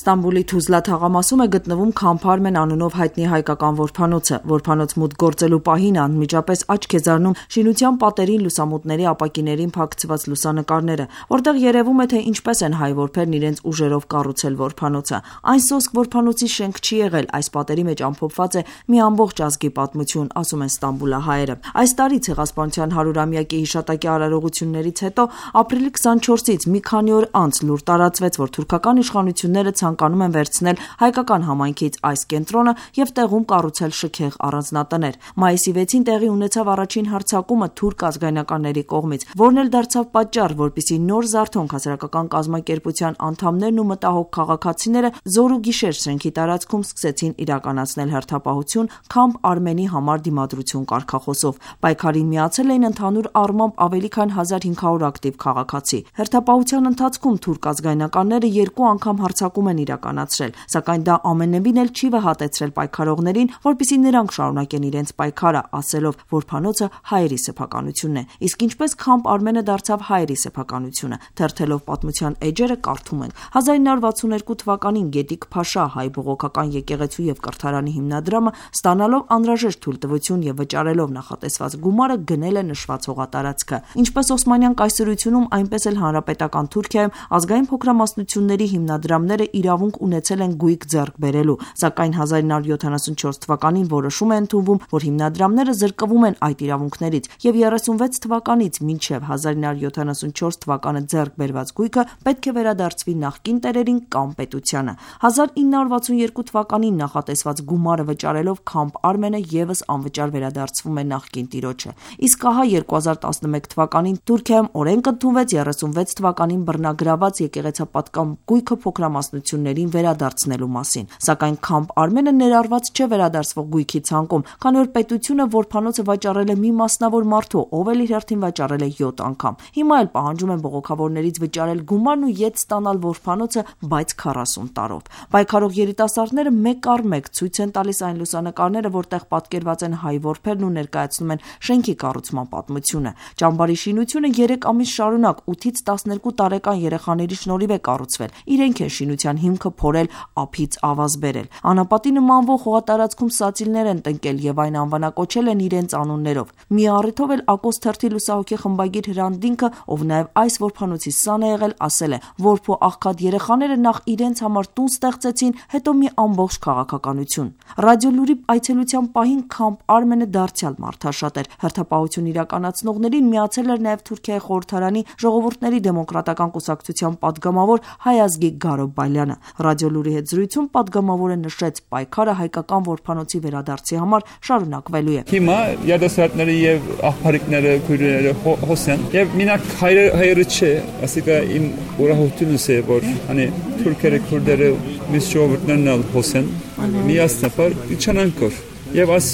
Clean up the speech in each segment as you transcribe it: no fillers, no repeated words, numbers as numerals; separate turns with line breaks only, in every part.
Ստամբուլի Թուզլա թաղամասում է գտնվում Քամփ Արմեն անունով հայտնի հայկական որբանոցը։ Որբանոց մուտք գործելու պահին անմիջապես աչք է ձեռնում շինության պատերին լուսամուտների ապակիներին փակցված լուսանկարները, որտեղ երևում է, թե ինչպես են հայ որբերն իրենց ուժերով կառուցել որբանոցը։ Այն սոսկ որբանոցի շենք չի եղել, այս պատերի մեջ ամփոփված է մի ամբողջ ազգի պատմություն, ասում են ստամբուլահայերը։ Այս տարի Ցեղասպանության 100-ամյակի հիշատակի արարողություններից հետո ապրիլի 24-ից մի քանի օր անց լուր տարածվեց, որ թուրքական իշխանությունները ցանկանում են վերցնել հայկական համայնքից այս կենտրոնը եւ տեղում կառուցել շքեղ առանձնատներ։ Մայիսի 6-ին տեղի ունեցավ առաջին հարձակումը թուրք ազգայնականների կողմից, որն էլ դարձավ պատճառ, որպեսզի նոր Զարթոնք հասարակական կազմակերպության անդամներն ու մտահոգ քաղաքացիները զոր ու գիշեր շենքի տարածքում սկսեցին իրականացնել հերթապահություն Քամփ Արմենի համար դիմադրություն կարգախոսով։ Պայքարին միացել էին ընդհանուր առմամբ ավելի քան 1500 ակտիվ քաղաքացի։ Հերթապահության ընթացքում թուրք ազգայնականները 2 անգամ հարձակում են իրականացրել, սակայն դա ամենևին էլ չի վհատեցրել պայքարողներին, որպեսզի նրանք շարունակեն իրենց պայքարը, ասելով, որ փանոցը հայերի սեփականությունն է։ Իսկ ինչպես Քամփ Արմենը դարձավ հայերի սեփականությունը, թերթելով պատմության էջերը կարդում ենք. 1962 թվականին Գետիկ Փաշա հայ բողոքական եկեղեցու եւ կրթարանի հիմնադրամը ստանալով անհրաժեշտ թույլտվություն եւ վճարելով նախատեսված գումարը գնել է նշված հողատարածքը։ Ինչպես Օսմանյան կայսրությունում, այնպես էլ հանրապետական Թուրքիայում ազգային փոքրամասնությունների հիմնադրամները իրավունք ունեցել են գույք ձեռք բերելու, սակայն 1974 թվականին որոշում է ընդունվում, որ հիմնադրամները զրկվում են այդ իրավունքներից եւ 36 թվականից մինչեւ 1974 թվականը ձեռք բերված գույքը պետք է վերադարձվի նախկին տերերին կամ պետությանը։ 1962 թվականին նախատեսված գումարը վճարելով Քամփ Արմենը եւս անվճար վերադարձվում է նախկին տիրոջը։ Իսկ ահա 2011 թվականին Թուրքիայում օրենք ընդունվեց 36 թվականին բռնագրաված եկեղեցապատկան գույքը փոքրամասնություններին վերադարձնելու մասին, սակայն Քամփ Արմենը ներառված չէ վերադարձվող գույքի ցանկում, քանի որ պետությունը որբանոցը վաճառել է մի մասնավոր մարդու, ով էլ իր հերթին վաճառել է 7 անգամ։ Հիմա էլ պահանջում են բողոքավորներից վճարել գումարն ու ետ ստանալ որբանոցը, բայց 40 տարով։ Պայքարող երիտասարդները մեկ առ մեկ ցույց են տալիս այն լուսանկարները, որտեղ պատկերված են հայ որբերն ու ներկայացնում են շենքի կառուցման պատմությունը։ Ճամբարի շինությունը 3 ամիս շարունակ 8-ից 12 տարեկան երեխաների շնորհիվ է կառուցվել։ Իրենք են շինության հիմքը փորել, ափից ավազ բերել։ Անապատի նմանվող հողատարածքում սացիլներ են տնկել եւ այն անվանակոչել են իրենց անուններով։ Մի առիթով էլ Ակոս թերթի լուսահոգի խմբագիր Հրանտ Դինքը, ով նաեւ այս որբանոցի սան է եղել, ասել է, որփո աղքատ երեխաները նախ իրենց համար տուն ստեղծեցին, հետո մի ամբողջ քաղաքականություն։ Ռադիոլուրի այցելության պահին Քամփ Արմենը դարձյալ մարդաշատ էր։ Հերթապահություն իրականացնողներին միացել էր նաեւ Թուրքիայի խորհրդարանի ժողովուրդների դեմոկրատական կուսակցության падգամավոր հայ ազգի Գարո Բալյանը։ Ռադիոլուրի հետ զրույցում падգամավորը նշեց, պայքարը հայկական որբանոցի վերադարձի համար շարունակվելու է։
Հիմա երիտասարդները եւ աղբարիկները, քույրերը հոսեն եւ մինակ հայերը չէ, ասիկա իմ ուրախությունս է, որ հանի թուրքերը, քուրդերը, մյուս ժողովուրդներն էլ հոսեն, միասնապար իջանանքոր։ Եվ այս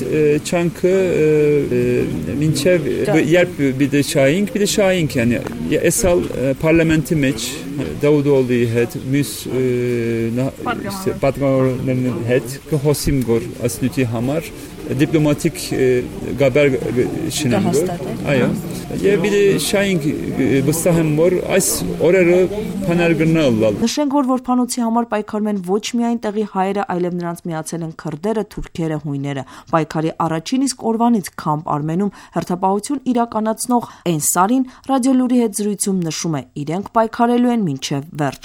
չանքը մինչև երբ բիդե շայինք yani esal parlamenti մեջ Դավուդօղլի հետ մյուս պատգամավորներն հետ կհոսիմ գոր ասնույթի համար դիպլոմատիկ գաբեր շինեմ գոր այո եւ բիդե շայինք վստահ եմ որ այս օրերը փանարգնալ
նշենք որ որբանոցի համար պայքարում են ոչ միայն տեղի հայերը, այլև նրանց միացել են քրդերը, թուրքերը, հույները։ Պայքարի առաջին իսկ օրվանից Քամփ Արմենում հերթապահություն իրականացնող Էնսարին ռադիոլուրի հետ զրույցում նշում է, իրենք պայքարելու են մինչև վերջ։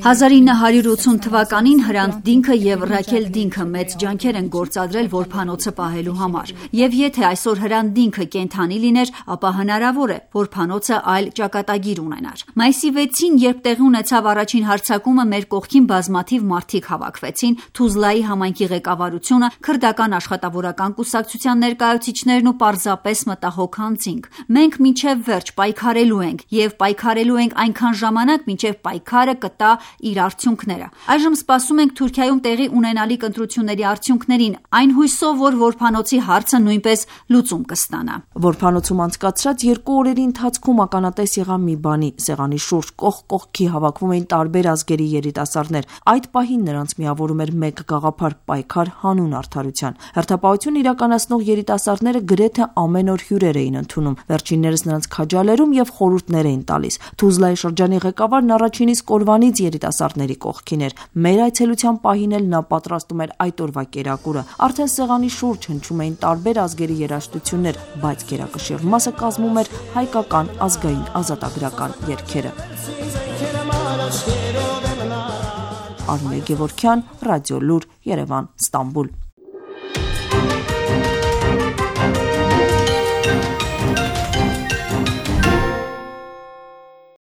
1980 թվականին Հրանտ Դինքը եւ Ռաքել Դինքը մեծ ջանքեր են գործադրել որբանոցը պահելու համար։ Եվ եթե այսօր Հրանտ Դինքը կենթանի լիներ, ապա հնարավոր է որբանոցը այլ ճակատագիր ունենար։ Մայիսի 6-ին, երբ տեղի ունեցավ առաջին հարձակումը, մեր կողքին բազմաթիվ մարդիկ հավաքվեցին, Թուզլայի համայնքի ղեկավարությունը, քրդական աշխատավորական կուսակցության ներկայացուցիչներն ու պարզապես մտահոգ հանձինք։ Մենք մինչև վերջ պայքարելու ենք եւ պայքարելու ենք այնքան ժամանակ, մինչև պայքարը կտա իր արդյունքները։ Այժմ սպասում ենք Թուրքիայում տեղի ունենալիք գալիք ընտրությունների արդյունքներին, այն հույսով, որ որբանոցի հարցը նույնպես լուծում կստանա։
Որբանոցում անցկացրած 2 օրերի ընթացքում ականատես եղա մի բանի. սեղանի շուրջ կողք կողքի հավաքվում էին տարբեր ազգերի երիտասարդներ։ Այդ պահին նրանց միավորում էր մեկ գաղափար՝ պայքար հանուն արդարության։ Հերթապահություն իրականացնող երիտասարդները գրեթե ամեն օր հյուրեր էին ընդունում։ Վերջիններս նրանց քաջալերում եւ խորհուրդներ էին տալիս։ Թուզլայի շրջանի ղեկավարն առաջին իսկ օրվանից երիտասարդների կողքին էր։ Մեր այցելության պահին էլ նա պատրաստում էր այդ օրվա կերակուրը։ Արդեն սեղանի շուրջ հնչում էին տարբեր ազգերի երաժշտություններ, բայց գերակշիռ մասը կազմում էր հայկական ազգային ազատագրական երգերը։ Արմեն Գևորգյան, Ռադիոլուր, Երևան, Ստամբուլ։